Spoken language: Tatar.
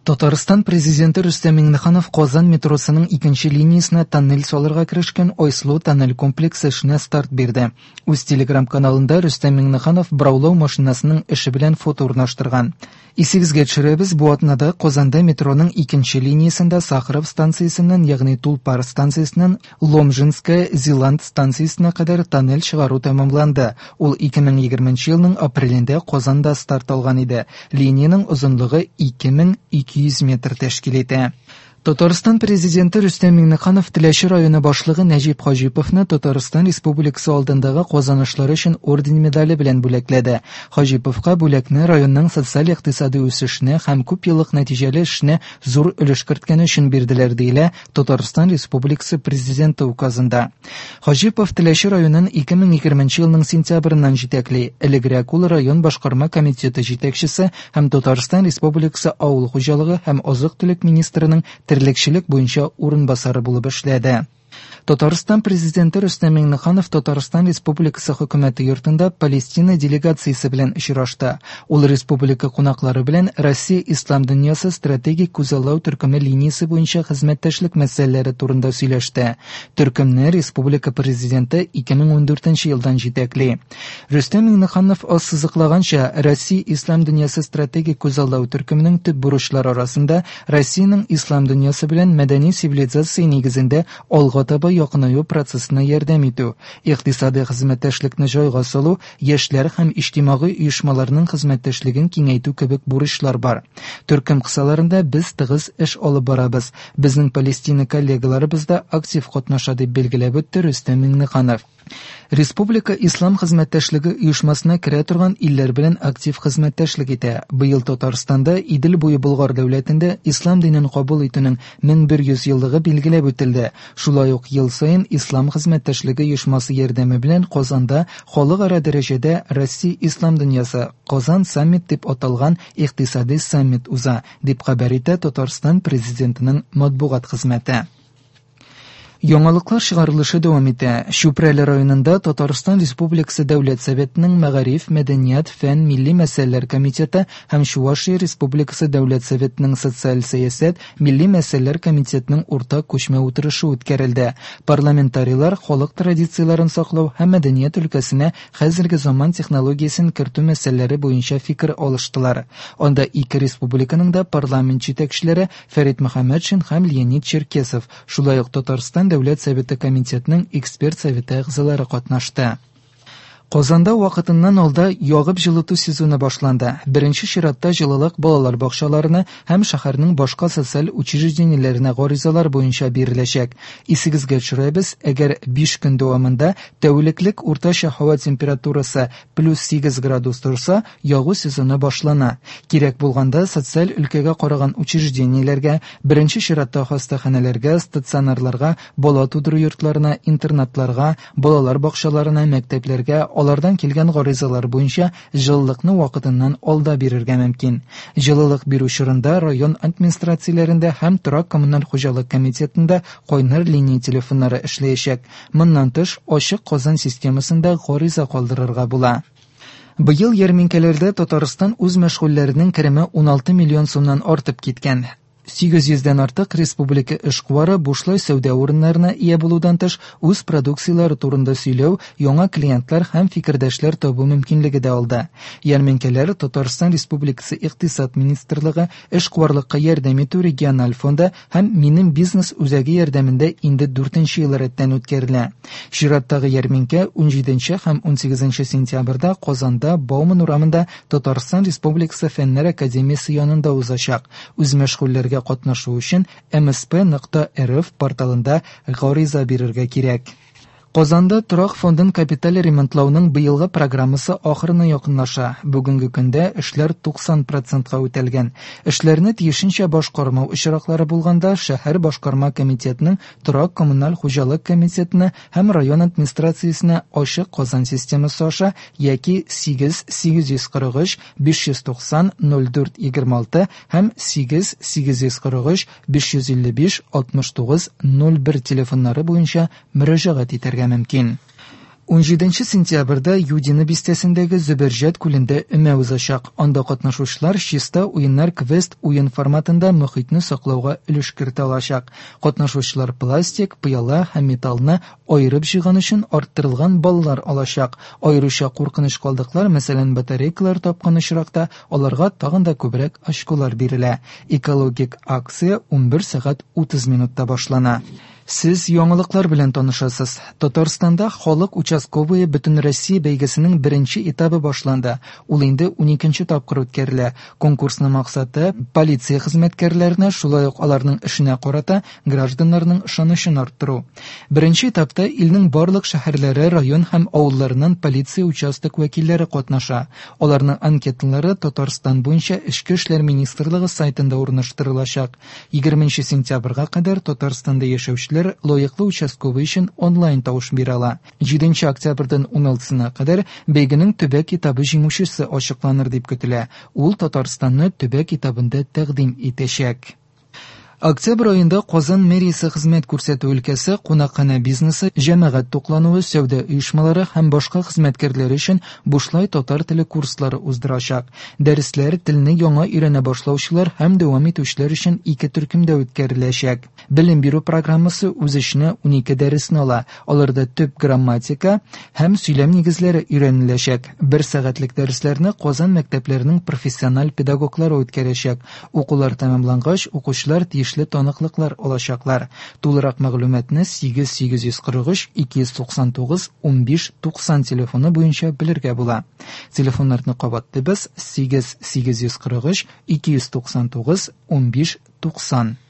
Татарстан Президенты Рөстәм Миңнеханов Казан метросының икенче линиясенә тоннель салырга керешкән Айсылу тоннель комплексы эшенә старт бирде. Үз телеграм-каналында Рөстәм Миңнеханов бораулау машинасының эше белән фото урнаштырган. Исегезгә төшерәбез, бу атнада Казанда метроның икенче линиясендә Сахаров станциясеннән, ягъни Тулпар станциясеннән Ломжинская, Зилант станциясенә кадәр тоннель чыгару тәмамланды. Ул 2020 елның апрелендә Казанда старт алган иде. Линиянең озынлыгы 2200 метр тәшкил итә. Татарстан Президенты Рөстәм Миңнеханов Теләче районы башлыгы Нәҗип Хаҗиповны Татарстан Республикасы алдындагы казанышлары өчен орден медале белән бүләкләде. Хаҗиповка бүләкне районның социаль-икътисади үсешенә һәм күпьеллык нәтиҗәле эшенә зур өлеш керткәне өчен бирделәр, диелә Татарстан Республикасы Президенты указында. Хаҗипов Теләче районын 2020 елның сентябреннән җитәкли. Элегрәк ул район башкарма комитеты җитәкчесе һәм Татарстан Республикасы авыл хуҗалыгы һәм азык-төлек министрының терлекчелек буенча урынбасары булып эшләде. Татарстан Президенты Рөстәм Миңнеханов Татарстан Республикасы Хөкүмәте йортында Палестина делегациясе белән очрашты. Ул республика кунаклары белән Россия Ислам дөньясы стратегик күзаллау төркеме линиясе буенча хезмәттәшлек мәсьәләләре турында сөйләште. Төркемне республика Президенты 2014 елдан җитәкли. Рөстәм Миңнеханов ассызыклаганча, Россия Ислам дөньясы стратегик күзаллау төркеменең төп бурычлары арасында Россиянең ислам дөньясы белән мәдәни цивилизация нигезендә алга таба якынаю процессына ярдәм итү, икътисадый хезмәттәшлекне җайга салу, яшьләр һәм иҗтимагый оешмаларның хезмәттәшлеген киңәйтү кебек бурычлар бар. Төркем кысаларында без тыгыз эш алып барабыз. Безнең Палестина коллегаларыбыз да актив катнаша, дип билгеләп үтте Рөстәм Миңнеханов. Республика Ислам хезмәттәшлеге оешмасына керә торган илләр белән актив хезмәттәшлек итә. Быел Татарстанда Идел буе Болгар дәүләтендә ислам динен кабул итүнең 1100 еллыгы билгеләп үтелде. Шулай ук ел саен Ислам хезмәттәшлеге оешмасы ярдәме белән Казанда халыкара дәрәҗәдә Россия Ислам дөньясы Казан саммит дип аталган икътисади саммит уза, дип хәбәр итә Татарстан Президентының матбугат хезмәте. Яңалыклар чыгарылышы дәвам итә. Чүпрәле районында Татарстан Республикасы Дәүләт Советының Мәгариф, мәдәният, фән, милли мәсьәләләр комитеты һәм Чувашия Республикасы Дәүләт Советының социаль сәясәт, милли мәсьәләләр комитетының уртак күчмә утырышы үткәрелде. Парламентарийлар халык традицияләрен саклау һәм мәдәният өлкәсенә хәзерге заман технологиясен кертү мәсьәләләре буенча фикер алыштылар. Анда ике республиканың да парламент җитәкчеләре Фәрит Мөхәммәтшин һәм Леонид Черкесов, шулай ук Татарстан Дәүләт Советы комитетының эксперт советы әгъзалары катнашты. Казанда вакытыннан алда ягып җылыту сезоны башланды. Беренче чиратта җылылык балалар бакчаларына һәм шәһәрнең башка социаль учреждениеләренә гаризалар буенча биреләчәк. Исегезгә төшерәбез, әгәр 5 көн дәвамында тәүлеклек уртача һава температурасы плюс 8 градус торса, ягу сезоны башлана. Кирәк булганда социаль өлкәгә караган учреждениеләргә, беренче чиратта хастаханәләргә, стационарларга, бала тудыру йортларына, интернатларга, балалар бакчаларына, мәктәпләргә алардан килгән гаризалар буенча җылылыкны вакытыннан алда бирергә мөмкин. Җылылык бирү чорында район администрацияләрендә һәм торак-коммуналь хуҗалык комитетында кайнар линия телефоннары эшләячәк. Моннан тыш, Ачык Казан системасында гариза калдырырга була. Быел ярминкәләрдә Татарстан үзмәшгульләренең кереме 16 миллион сумнан артып киткән. 800 дән артык республика эшкуары бушлай сәүдә урыннарына ия булудан тыш, үз продукцияләре турында сөйләү, яңа клиентлар һәм фикердәшләр табу мөмкинлеге дә алды. Ярминкәләр Татарстан Республикасы Икътисад министрлыгы, Эшкуарлыкка ярдәм итү региональ фонды һәм Минем бизнес үзәге ярдәмендә инде дүртенче ел рәттән үткәрелә. Чираттагы ярминкә 17 һәм 18 сентябрьдә Казанда Бауман урамында Татарстан Республикасы Фәннәр академиясе янында узачак. Үзмәшгульләргә катнашу өчен msp.rf порталында гариза бирергә кирәк. Казанда торак фондын капиталь ремонтлауның быелгы программасы ахырына якынлаша. Бүгенге көндә эшләр 90 процентка үтәлгән. Эшләрне тиешенчә башкармау очраклары булганда шәһәр башкарма комитетының торак-коммуналь хуҗалык комитетына һәм район администрациясенә ачык Казан системасы аша яки 8 843 590 04 26 һәм 8 843 555 69 01 телефоннары буенча мөрәҗәгать итәргә мөмкин. 17 сентябрьдә Юдино бистәсендәге Зөбәрҗәт күлендә өмә узачак. Анда катнашучылар Чиста уеннар квест уен форматында мохитне саклауга өлеш кертә алачак. Катнашучылар пластик, пыяла һәм металлны аерып җыйган өчен арттырылган баллар алачак. Аеруча куркыныч калдыклар, мәсәлән, батарейкалар тапкан очракта, аларга тагын да күбрәк очколар бирелә. Экологик акция 11 сәгать 30 минутта башлана. Сез яңалыклар белән танышасыз. Татарстанда халык участковые Бөтенроссия бәйгесенең беренче этабы башланды. Ул инде 12 тапкыр үткәрелә. Конкурсның максаты полиция хезмәткәрләренә, шулай ук аларның эшенә карата гражданнарның ышанычын арттыру. Беренче этапта илнең барлык шәһәрләре, район һәм авылларыннан полиция участок вәкилләре катнаша. Аларның анкеталары Татарстан буенча Эчке эшләр министрлыгы сайтында урнаштырылачак. 20 сентябрьгә кадәр Татарстанда яшәүчеләр лаеклы участковый өчен онлайн тавыш бирә ала. 7 октябрьдән 16-сына кадәр бәйгенең төбәк этабы җиңүчесе ачыкланыр дип көтелә. Ул Татарстанны төбәк этабында тәкъдим итәчәк. Октябрь аенда Казан мэриясе хезмәт күрсәтү өлкәсе, кунакханә бизнесы, җәмәгать туклануы, сәүдә оешмалары һәм башка хезмәткәрләре өчен бушлай татар теле курслары уздырачак. Дәресләр телне яңа өйрәнә башлаучылар һәм дәвам итүчеләр өчен ике төркемдә үткәреләчәк. Белем бирү программасы үз эченә 12 дәресне ала. Аларда төп грамматика һәм сөйләм нигезләре өйрәнеләчәк. Бер сәгатьлек дәресләрне Казан мәктәпләренең профессиональ педагоглары үткәрәчәк. Укулар тәмамлангач, укучылар тиешле таныклыклар алачаклар. Тулырак мәгълүматны 8843 299 15 90 телефоны буенча белергә була. Телефоннарны кабатлыйбыз: 8843 299 15 90.